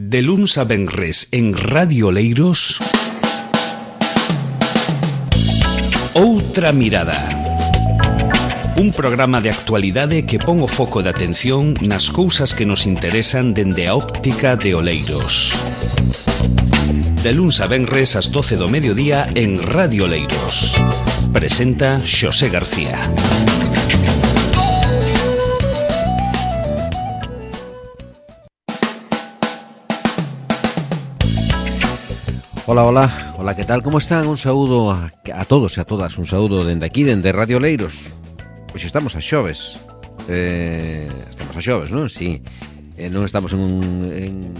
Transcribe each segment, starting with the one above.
De luns a venres en Radio Oleiros, Outra Mirada. Un programa de actualidade que pon o foco de atención nas cousas que nos interesan dende a óptica de Oleiros. De luns a venres ás 12 do mediodía en Radio Oleiros. Presenta Xosé García. Hola, ¿qué tal? ¿Cómo están? Un saúdo a todos e a todas, un saúdo dende aquí, dende Radio Oleiros. Pois estamos a xoves, non? Sí, non estamos en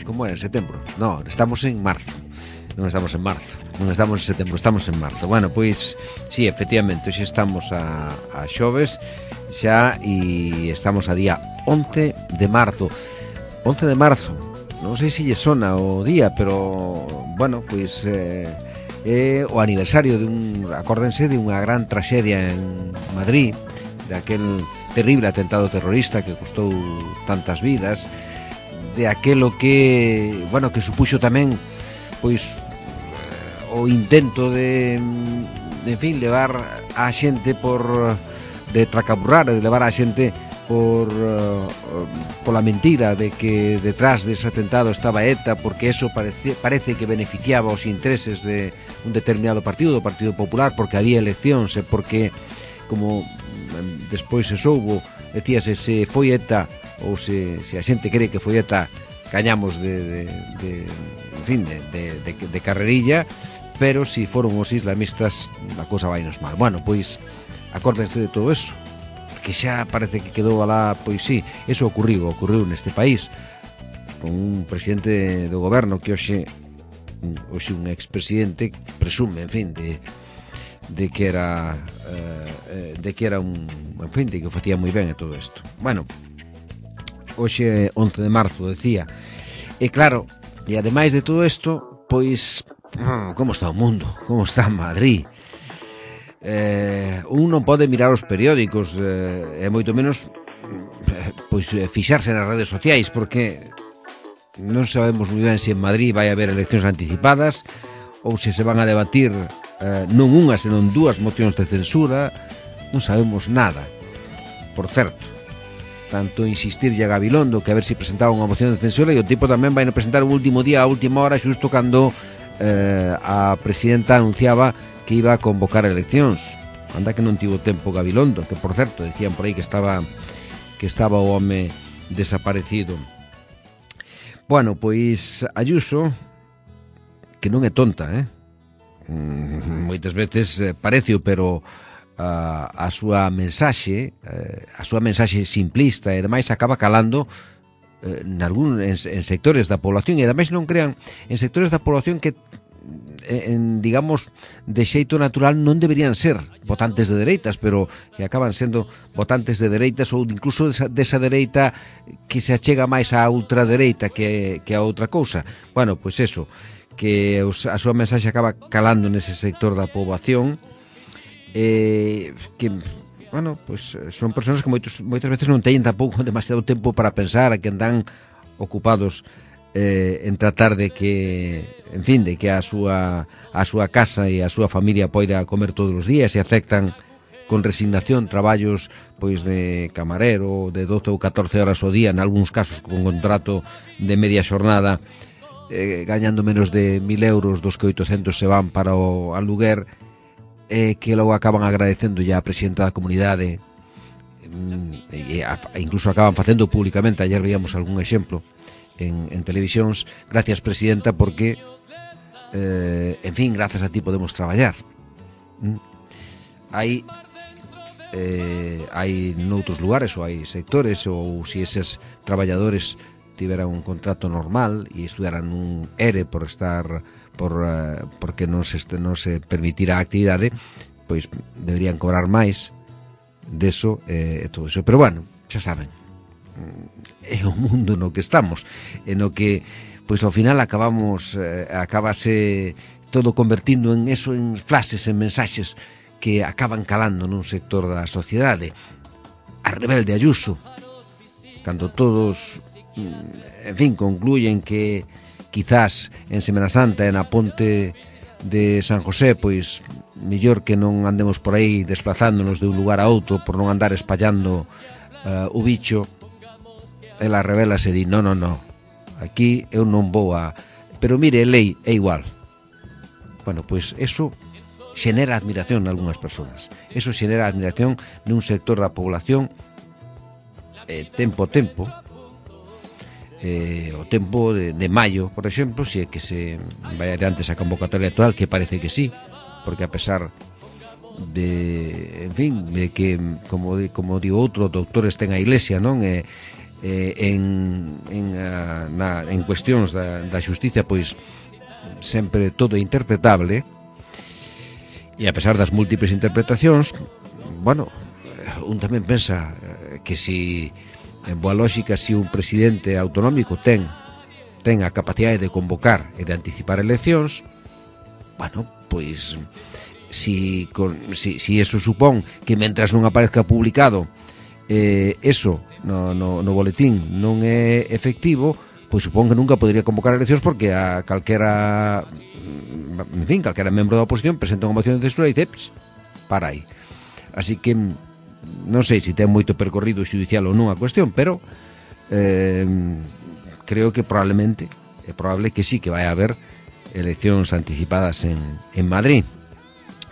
como é, en setembro? Non, estamos en marzo. Non estamos en marzo, non estamos en setembro, estamos en marzo. Bueno, pois, sí, efectivamente, hoxe estamos a xoves xa e estamos a día 11 de marzo. 11 de marzo, non sei se lle sona o día, pero, bueno, pois é o aniversario acórdense de unha gran traxedia en Madrid, de aquel terrible atentado terrorista que custou tantas vidas, de aquelo que, bueno, que supuxo tamén, pois, o intento de en fin, levar a xente de tracaburrar, de levar a xente pola mentira de que detrás dese atentado estaba ETA, porque eso parece que beneficiaba os intereses de un determinado partido, do Partido Popular, porque había eleccións e porque, como despois se soubo, decíase se foi ETA ou se a xente cree que foi ETA, cañamos de carrerilla, pero se foron os islamistas a cousa vai nos mal. Bueno, pois acórdense de todo eso, que xa parece que quedou alá, pois sí, eso ocurriu neste país, con un presidente do goberno que hoxe un expresidente presume, en fin, de que era un, en fin, de que o facía moi ben e todo isto. Bueno, hoxe 11 de marzo, decía, e claro, e ademais de todo isto, pois, como está o mundo, como está Madrid? Un non pode mirar os periódicos e moito menos pois fixarse nas redes sociais, porque non sabemos moi ben se en Madrid vai haber eleccións anticipadas ou se van a debatir non unha senón dúas mocións de censura. Non sabemos nada. Por certo, tanto insistirlle a Gabilondo que a ver se presentaba unha moción de censura, e o tipo tamén vai presentar un último día, a última hora, xusto cando a presidenta anunciaba que iba a convocar eleccións. Anda que non tivo tempo Gabilondo, que por certo decían por aí que estaba o home desaparecido. Bueno, pois Ayuso, que non é tonta, moitas veces parecio, pero a súa mensaxe simplista e demais acaba calando en sectores da población, e ademais non crean en sectores da población que digamos, de xeito natural non deberían ser votantes de dereitas, pero que acaban sendo votantes de dereitas, ou incluso desa dereita que se achega máis á ultradereita que a outra cousa. Bueno, pois eso, que a súa mensaxe acaba calando nese sector da poboación, que, bueno, pois son persoas que moitas veces non teñen tampouco demasiado tempo para pensar, que andan ocupados en tratar de que, en fin, de que a súa casa e a súa familia poida comer todos os días, e aceptan con resignación traballos pois de camarero de 12 ou 14 horas ao día, en algúns casos con contrato de media xornada, gañando menos de 1.000 euros, dos que 800 se van para o aluguer, que logo acaban agradecendo ya a presidenta da comunidade, e incluso acaban facendo públicamente. Ayer veíamos algún exemplo en televisións: gracias presidenta, porque en fin, grazas a ti podemos traballar. Hai noutros lugares, ou hai sectores, ou se eses traballadores tiveran un contrato normal e estudaran un ERE porque non se permitira a actividade, pois deberían cobrar máis deso e todo iso. Pero bueno, xa saben, é o mundo no que estamos, en o que pois ao final acabase todo convertindo en eso, en frases, en mensaxes que acaban calando nun sector da sociedade. A rebelde Ayuso, cando todos en fin, concluyen que quizás en Semana Santa e na ponte de San José, pois mellor que non andemos por aí desplazándonos de un lugar a outro por non andar espallando o bicho. Ela revela e di, no, aquí eu non vou a... Pero mire, lei é igual. Bueno, pois eso xenera admiración en algunhas persoas. Eso xenera admiración nun sector da población tempo o tempo de maio, por exemplo, se é que se vai adiante esa convocatoria electoral, que parece que sí, porque a pesar de, en fin, de que, como digo outro, doutores ten a Iglesia, non? En cuestións da xustiza, pois sempre todo é interpretable, e a pesar das múltiples interpretacións, bueno, un tamén pensa que si en boa lógica, se un presidente autonómico ten a capacidade de convocar e de anticipar eleccións, bueno, pois si eso supón que mentras non aparezca publicado eso no boletín non é efectivo, pois supón que nunca podría convocar eleccións, porque a calquera membro da oposición presenta unha moción de censura e dice, para aí. Así que non sei se ten moito percorrido xudicial ou non a cuestión, pero creo que é probable que sí que vai haber eleccións anticipadas en Madrid.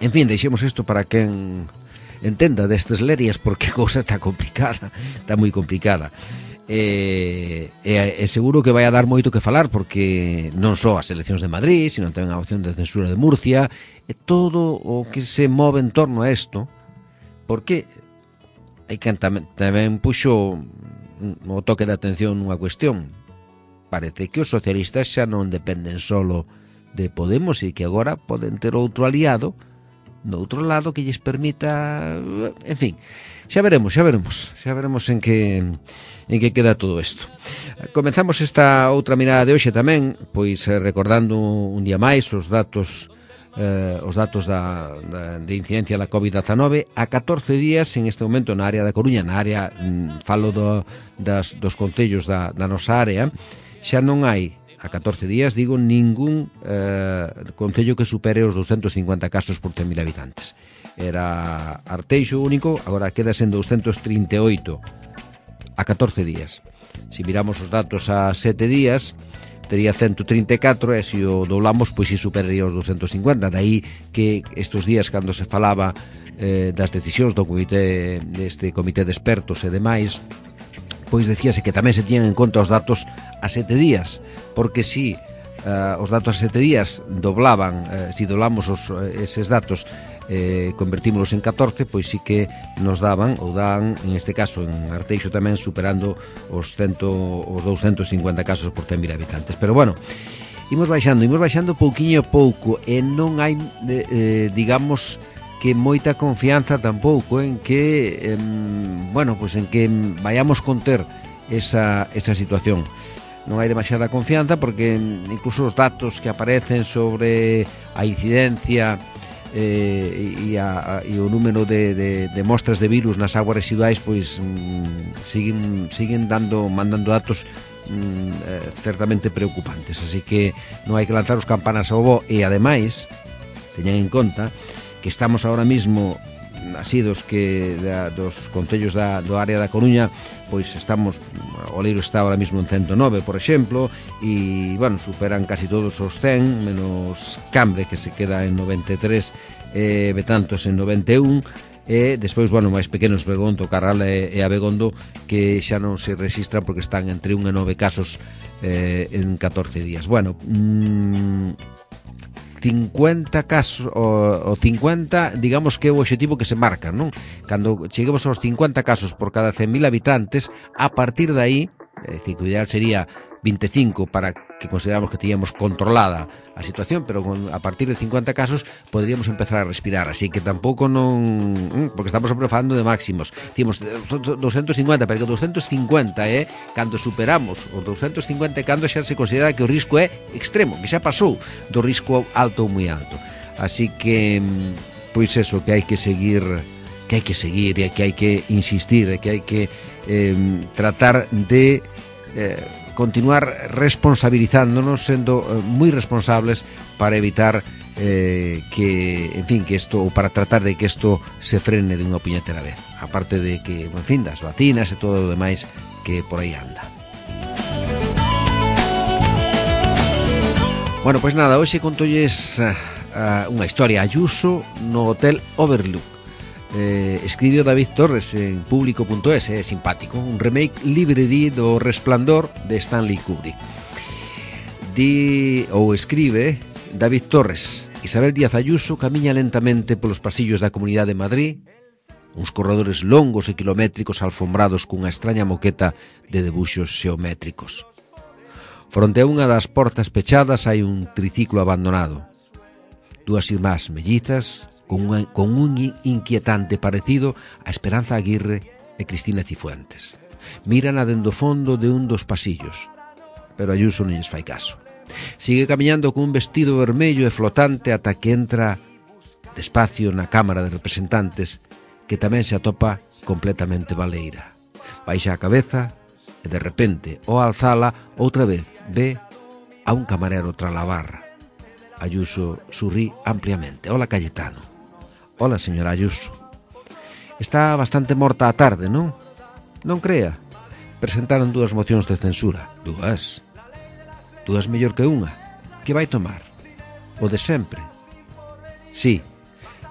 En fin, deixemos isto para quen entenda destes lerias, porque a cousa está complicada, está moi complicada. E seguro que vai a dar moito que falar, porque non só as eleccións de Madrid, sino tamén a opción de censura de Murcia, e todo o que se move en torno a isto, porque hai quen tamén puxo o toque de atención nunha cuestión. Parece que os socialistas xa non dependen solo de Podemos e que agora poden ter outro aliado no outro lado que lles permita, en fin, xa veremos en que queda todo isto. Comenzamos esta outra mirada de hoxe tamén, pois recordando un día máis os datos de incidencia da COVID-19 a 14 días en este momento na área da Coruña, na área, falo dos concellos da nosa área, xa non hai a 14 días, digo, ningún concello que supere os 250 casos por 100.000 habitantes. Era Arteixo único, agora queda sendo 238 a 14 días. Se miramos os datos a 7 días, tería 134, e se o doblamos, pois si superaría os 250. Daí que estes días, cando se falaba das decisións do comité, deste comité de expertos e demais, pois decíase que tamén se tiñan en conta os datos a 7 días, porque si os datos a 7 días doblaban, si doblamos eses datos, convertímolos en 14, pois sí que nos daban, ou dan, en este caso en Arteixo tamén, superando os 250 casos por 100.000 habitantes. Pero bueno, imos baixando pouquiño a pouco, e non hai, digamos, que moita confianza tampouco en que en que vayamos conter esa situación. Non hai demasiada confianza, porque incluso os datos que aparecen sobre a incidencia e o número de mostras de virus nas aguas residuais, pois siguen mandando datos certamente preocupantes. Así que non hai que lanzar os campanas ao voo, e ademais teñan en conta que estamos ahora mismo asidos que dos concellos do área da Coruña, pois estamos, o Leiro está ahora mismo en 109, por exemplo, e, bueno, superan casi todos os 100, menos Cambre, que se queda en 93, Betanzos en 91, e despois, bueno, máis pequenos, Bergondo, Carral e Abegondo, que xa non se registran porque están entre 1 e 9 casos en 14 días. Bueno, 50 casos, o 50, digamos que é o objetivo que se marca, non? Cando cheguemos aos 50 casos por cada 100.000 habitantes, a partir de aí, é dicir, que o ideal sería 25 para que consideramos que teníamos controlada a situación, pero a partir de 50 casos poderíamos empezar a respirar, así que tampouco non, porque estamos sempre falando de máximos. Temos 250, pero que 250 cando superamos os 250, cando xa se considera que o risco é extremo, que xa pasou do risco alto ou moi alto. Así que, pois eso, que hai que seguir e que hai que insistir, e que hai que tratar de continuar responsabilizándonos, sendo moi responsables para evitar que, en fin, que isto, ou para tratar de que isto se frene de unha puñetera vez, aparte de que, en fin, das vacinas e todo o demais que por aí anda. Bueno, pois nada, hoxe contolles unha historia. Ayuso no Hotel Overlook. Escribiu David Torres en público.es, é simpático, un remake libre do Resplandor de Stanley Kubrick. Escribe David Torres: Isabel Díaz Ayuso camiña lentamente polos pasillos da Comunidade de Madrid, uns corredores longos e kilométricos alfombrados cunha extraña moqueta de debuxos xeométricos. Fronte a unha das portas pechadas hai un triciclo abandonado. Dúas irmás mellizas con un inquietante parecido a Esperanza Aguirre e Cristina Cifuentes. Miran dende o fondo de un dos pasillos, pero Ayuso non lles fai caso. Sigue camiñando con un vestido vermello e flotante ata que entra despacio na Cámara de Representantes, que tamén se atopa completamente baleira. Baixa a cabeza e de repente, ao alzala, outra vez ve a un camarero tras a barra. Ayuso sorrí ampliamente. Hola, Cayetano. Hola, señora Ayuso. Está bastante morta a tarde, non? Non crea. Presentaron 2 mocións de censura. Dúas mellor que unha. Que vai tomar? O de sempre. Sí,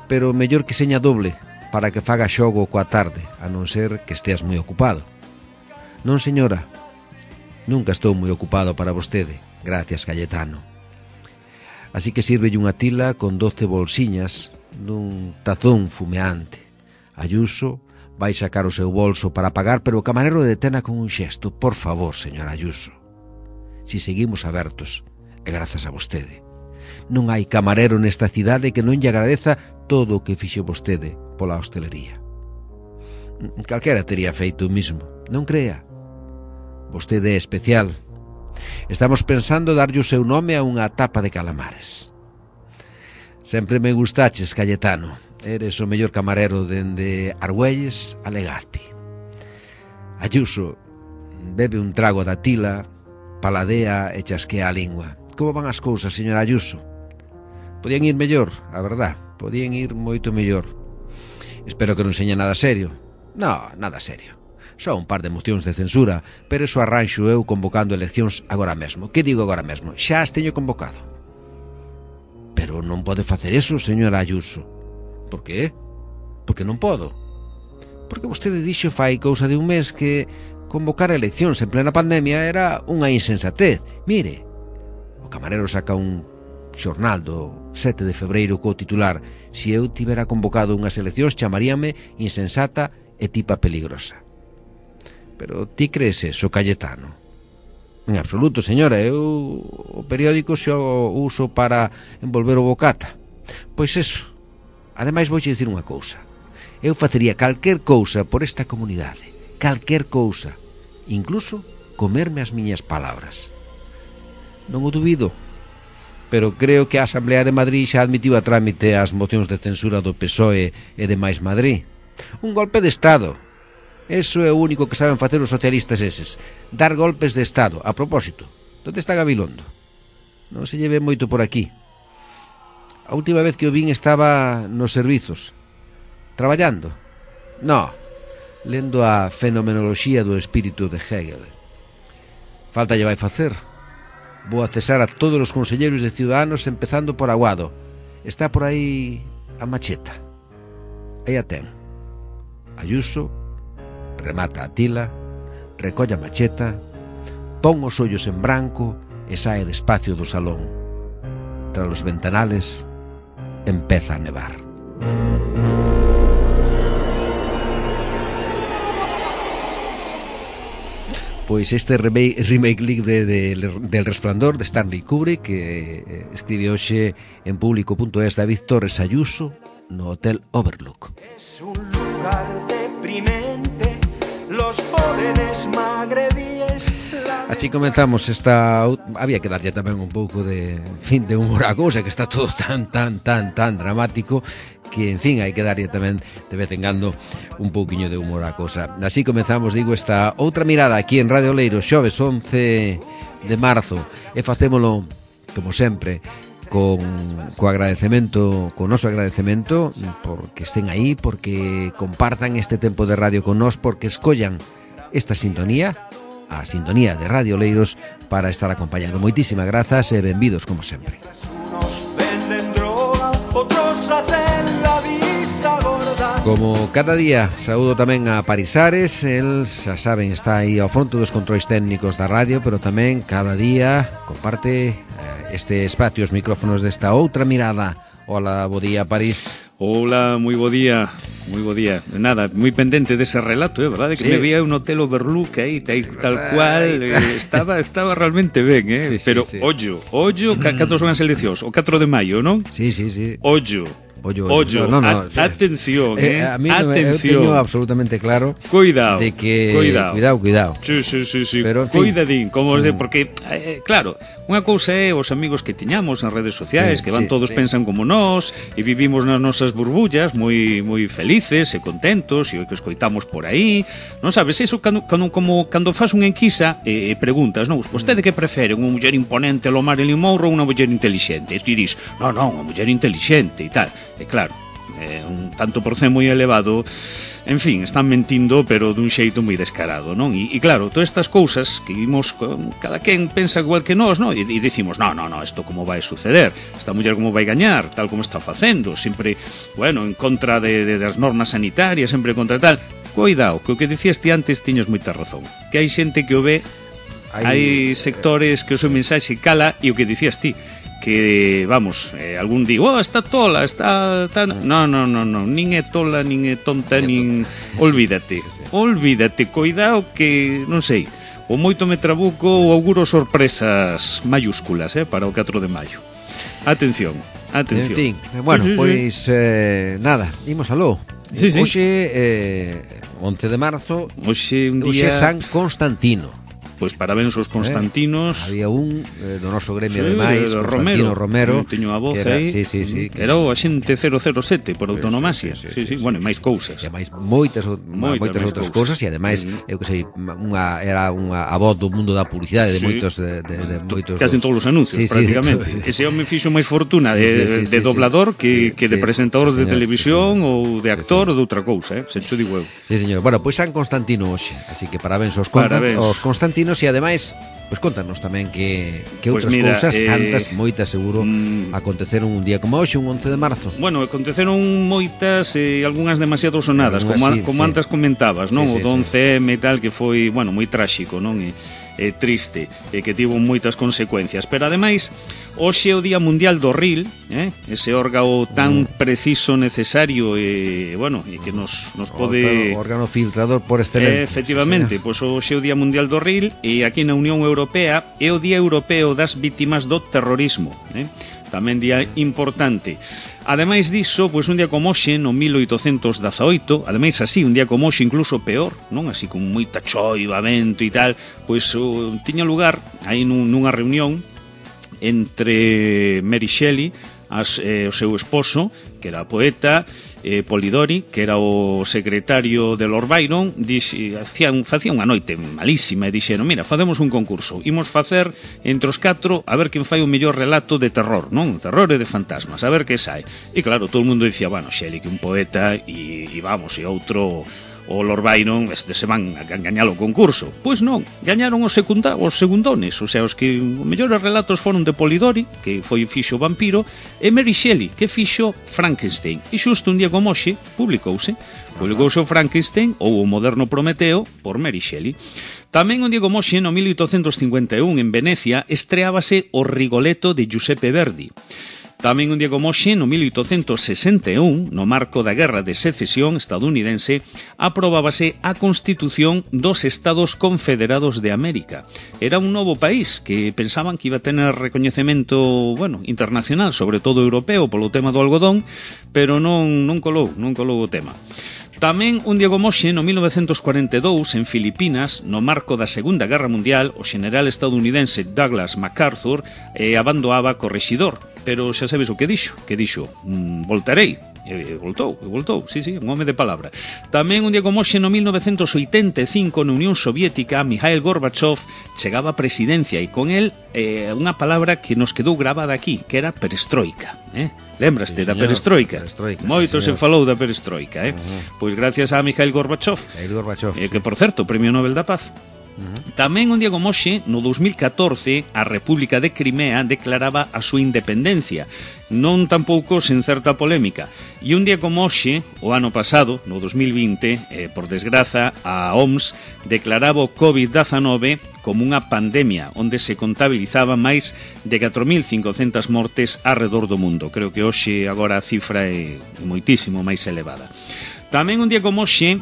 pero mellor que seña doble para que faga xogo coa tarde, a non ser que esteas moi ocupado. Non, señora. Nunca estou moi ocupado para vostede. Gracias, Cayetano. Así que sírvelle unha tila con 12 bolsiñas nun tazón fumeante. Ayuso vai sacar o seu bolso para pagar, pero o camarero detena con un xesto. Por favor, señora Ayuso. Si seguimos abertos, é grazas a vostede. Non hai camarero nesta cidade que non lle agradeza todo o que fixo vostede pola hostelería. Calquera tería feito o mismo, non crea. Vostede é especial. Estamos pensando darlle o seu nome a unha tapa de calamares. Sempre me gustaches, Cayetano. Eres o mellor camarero dende Argüelles a Legazpi. Ayuso bebe un trago da tila, paladea e chasquea a lingua. Como van as cousas, señora Ayuso? Podían ir mellor, a verdad. Podían ir moito mellor. Espero que non seña nada serio. No, nada serio. Só un par de mocións de censura, pero eso arranxo eu convocando eleccións agora mesmo. Que digo agora mesmo? Xa as teño convocado. Pero non pode facer eso, señora Ayuso. Por qué? Porque non podo. Porque vostede dixo fai cousa de un mes que convocar eleccións en plena pandemia era unha insensatez. Mire, o camarero saca un xornal do 7 de febreiro co titular: Si eu tivera convocado unhas eleccións chamaríame insensata e tipa peligrosa. Pero ti crees eso, Cayetano? En absoluto, señora. Eu o periódico xo uso para envolver o bocata. Pois eso. Ademais, vouche dicir unha cousa. Eu facería calquer cousa por esta comunidade. Calquer cousa. Incluso comerme as miñas palabras. Non o dubido. Pero creo que a Asamblea de Madrid xa admitiu a trámite as mocións de censura do PSOE e de Mais Madrid. Un golpe de Estado. Eso é o único que saben facer os socialistas eses. Dar golpes de Estado. A propósito, onde está Gabilondo? Non se lleve moito por aquí. A última vez que o vin estaba nos servizos. Traballando? No, lendo a fenomenoloxía do espírito de Hegel. Falta lle vai facer. Vou a cesar a todos os conselleiros de Ciudadanos, empezando por Aguado. Está por aí a macheta. Aí a ten. Ayuso remata a tila, recolle a macheta, pon os ollos en branco e sae despacio do salón. Tras os ventanales empeza a nevar. Pois este remake libre del Resplandor de Stanley Kubrick, que escribe hoxe en público.es David Torres Ayuso no Hotel Overlook. Es un lugar deprimente, los jóvenes magrebíes, la Así comenzamos esta... Había que darlle tamén un pouco de humor á cousa, que está todo tan dramático, que, en fin, hai que darlle tamén de vez en cando un pouquiño de humor á cousa. Así comenzamos, digo, esta outra mirada aquí en Radio Oleiros, xoves 11 de marzo, e facémolo, como sempre, co agradecemento, co noso agradecemento, porque estén aí, porque compartan este tempo de radio con nós, porque escollan esta sintonía, a sintonía de Radio Oleiros, para estar acompañando. Moitísimas grazas e benvidos como sempre. Como cada día, saúdo tamén a Parisares. El, xa saben, está aí ao fronte dos controis técnicos da radio, pero tamén cada día comparte este espacio, os micrófonos desta outra mirada. Hola, bo día, París. Hola, moi bo día. Moi bo día. Nada, moi pendente dese relato, verdade? Que sí. Me veía un hotel Overlook aí, tal cual. Estaba realmente ben, Sí, pero, sí. ollo, cando son as eleccións? O 4 de maio, non? Sí. Ollo. No, atención, a mí atención. Eu teño absolutamente claro. Cuidado. De que cuidado. Sí. Pero, en fin, cuidadín, como porque claro, unha cousa é os amigos que tiñamos en redes sociais, que van todos pensan como nós e vivimos nas nosas burbullas moi felices e contentos e o que escoitamos por aí. Non sabes, iso cando faz unha enquisa e preguntas, non, vostede que prefere, unha muller imponente lo Marilyn Monroe ou unha muller inteligente? E ti dis, non, unha muller inteligente e tal. E claro, un tanto por cento moi elevado, en fin, están mentindo, pero dun xeito moi descarado, non? E claro, todas estas cousas que vimos, cada quen pensa igual que nós, non? E dicimos, no, isto como vai suceder? Esta muller como vai gañar? Tal como está facendo, sempre, en contra das normas sanitarias, sempre contra tal. Cuidado, que o que dicías ti antes tiñas moita razón, que hai xente que o ve, hai sectores que o seu mensaxe cala, e o que dicías ti, que, algún digo, está tola, está... No, nin é tola, nin é tonta, nin... Olvídate, cuidado que, non sei, o moito me trabuco ou auguro sorpresas mayúsculas, para o 4 de maio. Atención. En fin, pois, nada, imos aló. Sí. Hoxe, 11 de marzo, hoxe un día... Hoxe San Constantino. Pois parabéns aos Constantinos. Había un do noso gremio de máis, Constantino Romero. Teño a voz aí. Sí. Que era o axente 007 por autonomasia. Sí, máis cousas. E máis moitas outras cousas e ademais, eu que sei, era unha a voz do mundo da publicidade de moitos casi en todos os anuncios, prácticamente. Ese home fixo máis fortuna de doblador que de presentador de televisión ou de actor ou de outra cousa, se cho digo eu. Sí, señor. Bueno, pois San Constantino hoxe, así que parabéns aos Constantinos. E ademais, pois contanos tamén que outras cousas, cantas, moitas seguro, aconteceron un día como hoxe, un 11 de marzo. Bueno, aconteceron moitas e algunhas demasiado sonadas, como antes comentabas, non? O 11M e tal, que foi, moi tráxico, non? E triste, e que tivo moitas consecuencias. Pero ademais, hoxe é o Día Mundial do Ril, ese órgano tan preciso, necesario e que nos pode... O órgano filtrador por excelencia. Efectivamente, pois hoxe é o Día Mundial do Ril e aquí na Unión Europea é o Día Europeo das Vítimas do Terrorismo, tamén día importante. Ademais diso, pois un día como hoxe, no 1818, ademais así, un día como hoxe incluso peor, non? Así con moita choiva, vento e tal, pois tiña lugar aí nunha reunión entre Mary Shelley, o seu esposo, que era poeta, Polidori, que era o secretario de Lord Byron, facía unha noite malísima e dixeron, mira, facemos un concurso, imos facer entre os 4 a ver quen fai o mellor relato de terror, non? Terror e de fantasmas, a ver que sai. E claro, todo o mundo dicía, Shelley, que un poeta, e outro... O Lord Byron, se van a gañar o concurso. Pois non, gañaron os segundones, o sea, os que os mellores relatos foron de Polidori, que fixo o vampiro, e Mary Shelley, que fixo Frankenstein. E xusto un día como hoxe, publicouse o Frankenstein, ou o moderno Prometeo, por Mary Shelley. Tamén un día como hoxe, no 1851, en Venecia, estreábase o Rigoletto de Giuseppe Verdi. Tamén un día como hoxe, no 1861, no marco da Guerra de Secesión estadounidense, aprobábase a Constitución dos Estados Confederados de América. Era un novo país que pensaban que iba a tener recoñecemento, internacional, sobre todo europeo, polo tema do algodón, pero non colou o tema. Tamén un día como hoxe, no 1942, en Filipinas, no marco da Segunda Guerra Mundial, o xeneral estadounidense Douglas MacArthur abandoaba correxidor. Pero xa sabes o que dixo, voltarei. Voltou, sí, un home de palabra. Tamén un día como hoxe, no 1985, na Unión Soviética, Mikhail Gorbachev chegaba á presidencia e con el unha palabra que nos quedou grabada aquí, que era perestroika. Lembraste da perestroika? Moito se falou da perestroika. Pois gracias a Mikhail Gorbachev, que por certo, Premio Nobel da Paz. Tamén un día como hoxe, no 2014, a República de Crimea declaraba a súa independencia, non tampouco sen certa polémica. E un día como hoxe, o ano pasado, no 2020, por desgraza, a OMS declaraba o COVID-19 como unha pandemia, onde se contabilizaba máis de 4.500 mortes arredor do mundo. Creo que hoxe agora a cifra é moitísimo máis elevada. Tamén un día como hoxe,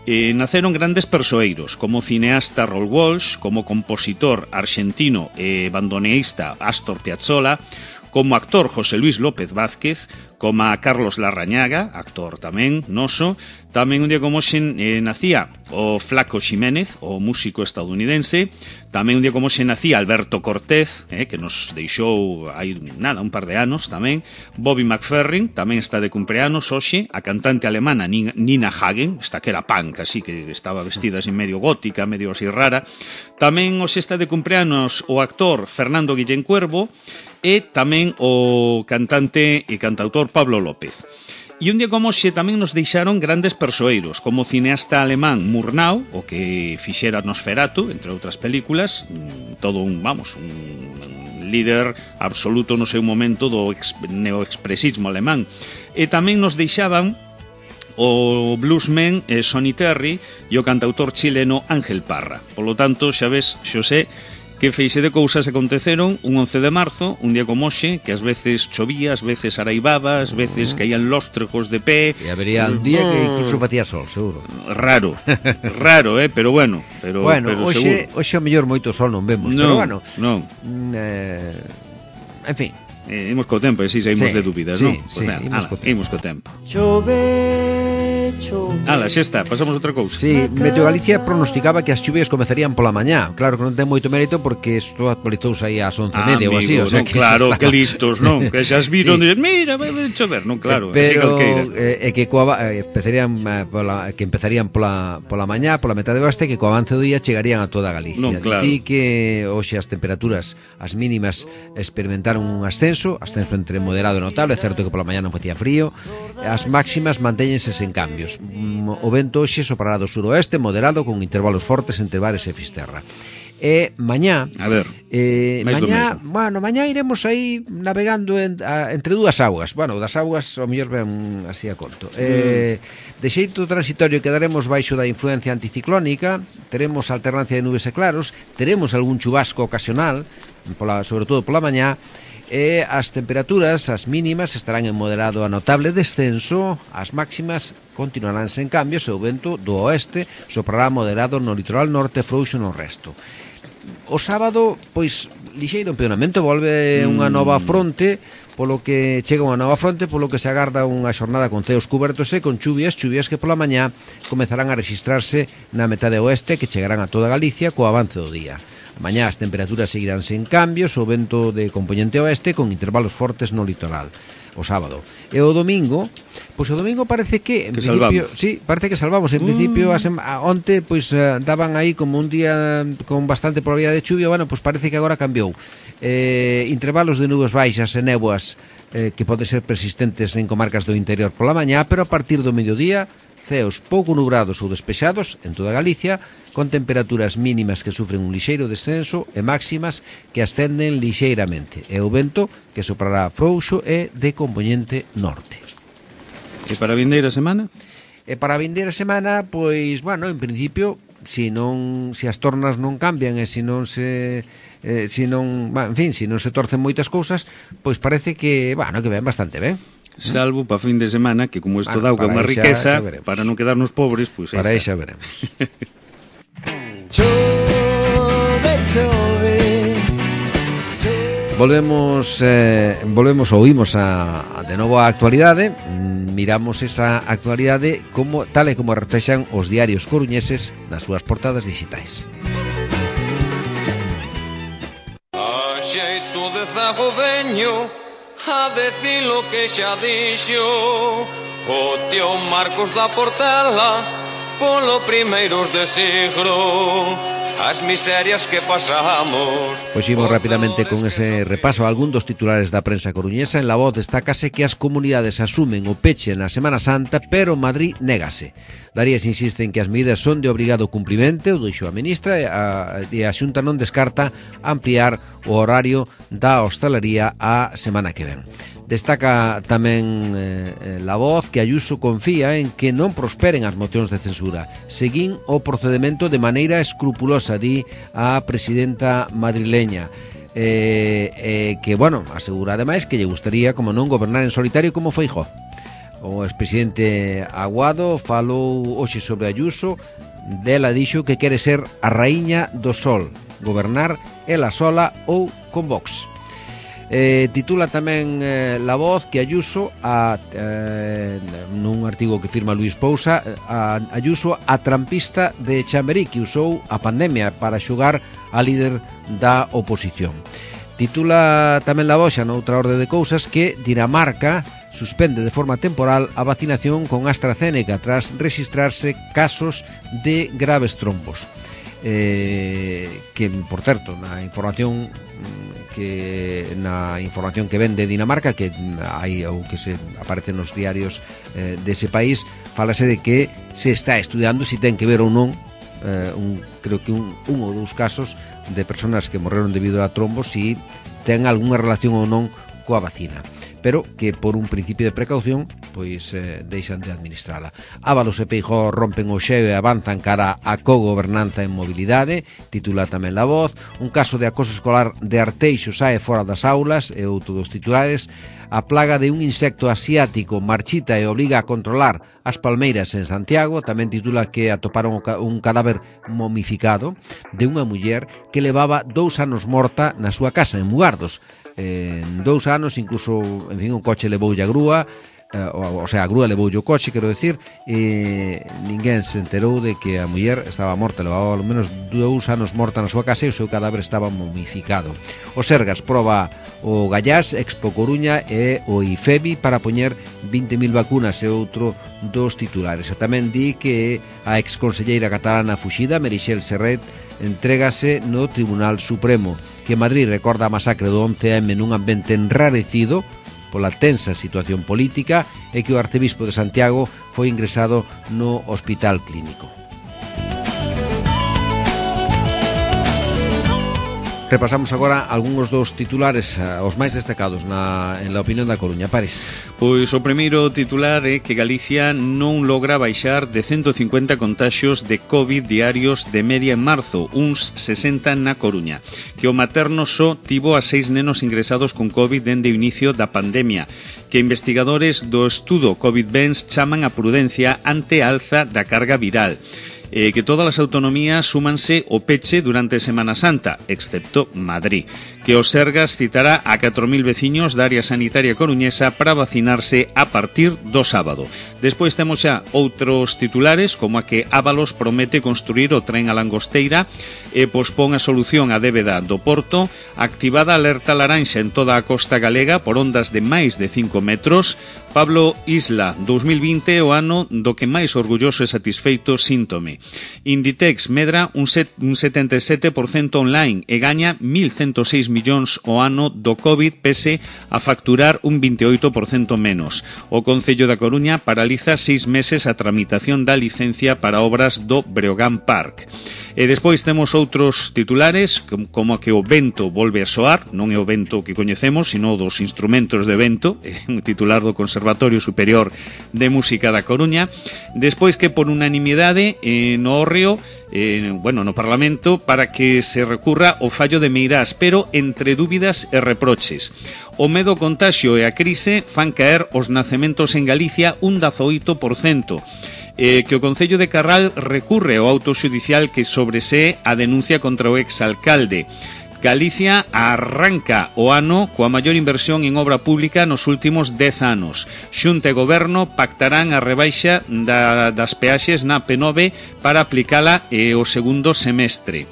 naceron grandes persoeiros, como o cineasta Raoul Walsh, como compositor argentino e bandoneísta Astor Piazzolla, como actor José Luis López Vázquez, como a Carlos Larrañaga, actor tamén noso. Tamén un día como hoxe nacía o Flaco Ximénez, o músico estadounidense. Tamén un día como hoxe nacía Alberto Cortés, que nos deixou hai un par de anos tamén. Bobby McFerrin tamén está de cumpleanos hoxe. A cantante alemana Nina Hagen, esta que era punk, así que estaba vestida así medio gótica, medio así rara. Tamén hoxe está de cumpleanos o actor Fernando Guillén Cuervo e tamén o cantante e cantautor Pablo López. E un día como hoxe tamén nos deixaron grandes persoeiros, como o cineasta alemán Murnau, o que fixera Nosferatu, entre outras películas, todo un líder absoluto no seu momento do neoexpresismo alemán. E tamén nos deixaban o bluesman Sonny Terry e o cantautor chileno Ángel Parra. Polo tanto, xa ves, Xosé, que feixe de cousas aconteceron un 11 de marzo, un día como hoxe, que ás veces chovía, ás veces araibaba, ás veces caían lóstregos de pé. E habería un día que incluso facía sol, seguro. Raro, pero bueno. Pero hoxe o mellor moito sol non vemos, pero bueno. Non. En fin. Imos co tempo, e si saímos de dúbidas, non? Sí, imos co tempo. Ala, xa está, pasamos outra cousa. Sí, Meteo Galicia pronosticaba que as chuvias comezarían pola mañá. Claro que non ten moito mérito porque isto actualizouse aí ás 11:30 ou así, o sea, que claro, que listos, non? Que xa as viron, sí. Mira, vai chover, non, claro, pero que empezarían pola mañá, pola metade oeste, que co avance do día chegarían a toda Galicia. Non, claro. Di que hoxe as temperaturas, as mínimas experimentaron un ascenso entre moderado e notable, é certo que pola mañá non facía frío, as máximas mantéñense sen cambios. O vento hoxe soprará do suroeste moderado con intervalos fortes entre Bares e Fisterra. E mañá, mañá iremos aí navegando entre dúas augas. Bueno, das augas o mellor ven así a conto. De xeito transitorio quedaremos baixo da influencia anticiclónica, teremos alternancia de nubes e claros, teremos algún chubasco ocasional, sobre todo pola mañá. E as temperaturas, as mínimas, estarán en moderado a notable descenso, as máximas continuarán sen cambios e o vento do oeste soprará moderado no litoral norte, frouxo no resto. O sábado, pois, lixeiro empeoramento, volve unha nova fronte, polo que chega unha nova fronte, polo que se agarda unha xornada con ceos cubertos e con chuvias que pola mañá comezarán a rexistrarse na metade oeste, que chegarán a toda Galicia co avance do día. Mañá as temperaturas seguirán sen cambios, o vento de componente oeste con intervalos fortes no litoral o sábado. E o domingo, pois o domingo parece que en principio, sí, parece que salvamos. En principio onte pois daban aí como un día con bastante probabilidade de chuvia, bueno, pois parece que agora cambiou. Intervalos de nubes baixas e néboas que poden ser persistentes en comarcas do interior pola mañá, pero a partir do mediodía ceos pouco nubrados ou despexados en toda Galicia, con temperaturas mínimas que sufren un lixeiro descenso e máximas que ascenden lixeiramente, e o vento que soprará frouxo e de compoñente norte. E para a vindeira semana? E para a vindeira semana, pois, bueno, en principio, se as tornas non cambian e se non se torcen moitas cousas, pois parece que, bueno, que ven bastante ben. Salvo para fin de semana, que como isto dá unha riqueza, para non quedarnos pobres, pois para aí xa veremos. Volvemos ou oímos de novo a actualidade. miramos esa actualidade tal e como reflexan os diarios coruñeses nas súas portadas digitais. A xeito de zagoveño, a decir lo que xa dixo o tío Marcos da Portela polo primeiros de siglo. As miserias que pasamos. Pois imos rapidamente con ese repaso a algún dos titulares da prensa coruñesa. En La Voz destacase que as comunidades asumen o peche na Semana Santa, pero Madrid négase. Darías insiste en que as medidas son de obrigado cumprimento, o dixo a ministra, e a Xunta non descarta ampliar o horario da hostalería a semana que ven. Destaca tamén La Voz que Ayuso confía en que non prosperen as mocións de censura. Seguín o procedimento de maneira escrupulosa, di a presidenta madrileña. Que, bueno, asegura ademais que lle gustaría, como non, gobernar en solitario como Feijóo. O expresidente Aguado falou hoxe sobre Ayuso. Dela dixo que quere ser a raíña do sol, gobernar ela sola ou con Vox. Titula tamén La Voz que Ayuso nun artigo que firma Luís Pousa, Ayuso a trampista de Chamberí, que usou a pandemia para xogar a líder da oposición. Titula tamén La Voz, xa noutra orde de cousas, que Dinamarca suspende de forma temporal a vacinación con AstraZeneca tras registrarse casos de graves trombos. Que, por certo, na información que ven de Dinamarca, que hai ou que se aparece nos diarios dese país, fálase de que se está estudiando se ten que ver ou non creo que un ou dous casos de persoas que morreron debido a trombos, si ten algunha relación ou non coa vacina, pero que por un principio de precaución pois deixan de administrala. Ábalos e Feijóo rompen o xeo e avanzan cara a cogobernanza en mobilidade, titula tamén La Voz. Un caso de acoso escolar de Arteixo sae fora das aulas, e outro dos titulares. A plaga de un insecto asiático marchita e obliga a controlar as palmeiras en Santiago. Tamén titula que atoparon un cadáver momificado de unha muller que levaba 2 anos morta na súa casa en Mugardos. En 2 anos, incluso, en fin, un coche levoulle a grúa, o sea, a grúa levoulle o coche, quero decir, e ninguén se enterou de que a muller estaba morta, levaba ao menos 2 anos morta na súa casa e o seu cadáver estaba momificado. O Sergas proba o Gallás, Expo Coruña e o IFEBI para poñer 20.000 vacunas, e outro dos titulares. E tamén di que a exconselleira catalana fuxida, Meritxell Serret, entrégase no Tribunal Supremo, que Madrid recorda a masacre do 11M nun ambiente enrarecido pola tensa situación política, e que o arcebispo de Santiago foi ingresado no hospital clínico. Repasamos agora algúns dos titulares, os máis destacados en la opinión da Coruña. Paris. Pois o primeiro titular é que Galicia non logra baixar de 150 contaxios de COVID diarios de media en marzo, uns 60 na Coruña. Que o materno só tivo a 6 nenos ingresados con COVID dende o inicio da pandemia. Que investigadores do estudo COVID-Bens chaman a prudencia ante a alza da carga viral. Que todas as autonomías súmanse o peche durante Semana Santa, excepto Madrid. Que o Sergas citará a 4.000 veciños da área sanitaria coruñesa para vacinarse a partir do sábado. Despois temos xa outros titulares, como a que Ábalos promete construir o tren a Langosteira e pospón a solución á débeda do Porto, activada alerta laranxa en toda a costa galega por ondas de máis de 5 metros. Pablo Isla, 2020 o ano do que máis orgulloso e satisfeito síntome. Inditex medra un 77% online e gaña 1.106 millóns o ano do COVID pese a facturar un 28% menos. O Concello da Coruña paraliza 6 meses a tramitación da licencia para obras do Breogán Park. E despois temos outros titulares, como que o vento volve a soar, non é o vento que coñecemos, sino dos instrumentos de vento, un titular do Conservatorio Superior de Música da Coruña. Despois que por unanimidade no Hórreo, no Parlamento, para que se recurra o fallo de Meirás, pero entre dúbidas e reproches. O medo ao contaxio e a crise fan caer os nacementos en Galicia un 18%. Que o Concello de Carral recurre ao auto xudicial que sobresee a denuncia contra o exalcalde. Galicia arranca o ano coa maior inversión en obra pública nos últimos 10 anos. Xunta e Goberno pactarán a rebaixa das peaxes na P9 para aplicala o segundo semestre.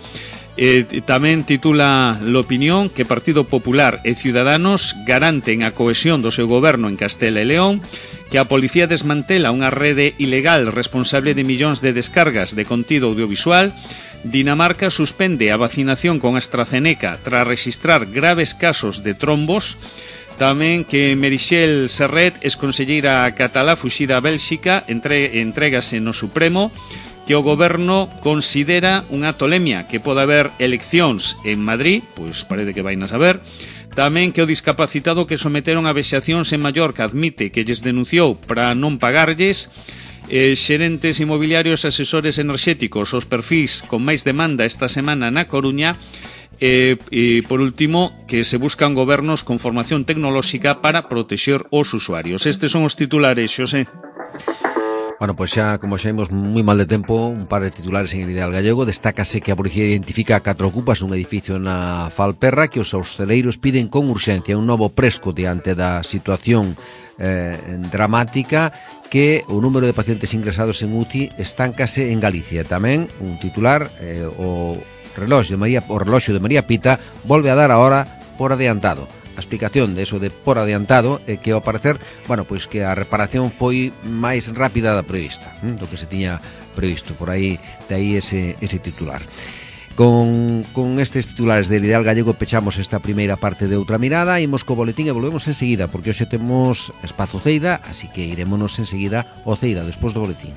Tamén titula l'opinión que Partido Popular e Ciudadanos garanten a cohesión do seu goberno en Castela e León, que a policía desmantela unha rede ilegal responsable de millóns de descargas de contido audiovisual. Dinamarca suspende a vacinación con AstraZeneca tras registrar graves casos de trombos. Tamén que Meritxell Serret, exconselleira catalá fuxida a Bélxica, entrégase no Supremo, que o goberno considera unha tolemia que pode haber eleccións en Madrid, pois parece que vai a saber. Tamén que o discapacitado que someteron a vexacións en Mallorca admite que lles denunciou para non pagarlles. Xerentes inmobiliarios, asesores enerxéticos, os perfis con máis demanda esta semana na Coruña. E por último, que se buscan gobernos con formación tecnolóxica para protexer os usuarios. Estes son os titulares, Xosé. Bueno, pois xa, como xa imos moi mal de tempo, un par de titulares en el Ideal Gallego. Destácase que a policía identifica 4 ocupas nun edificio na Falperra, que os hostaleiros piden con urxencia un novo presco diante da situación dramática, que o número de pacientes ingresados en UCI estáncase en Galicia. Tamén un titular, o reloxo de María Pita volve a dar a hora por adiantado. A explicación de eso de por adiantado é que ao parecer, bueno, pois que a reparación foi máis rápida da prevista, do que se tiña previsto. Por aí, de aí ese titular. Con estes titulares del Ideal Gallego pechamos esta primeira parte de Outra Mirada. Imos co boletín e volvemos enseguida, porque hoxe temos espazo Ceida, así que irémonos enseguida ao Ceida despois do boletín.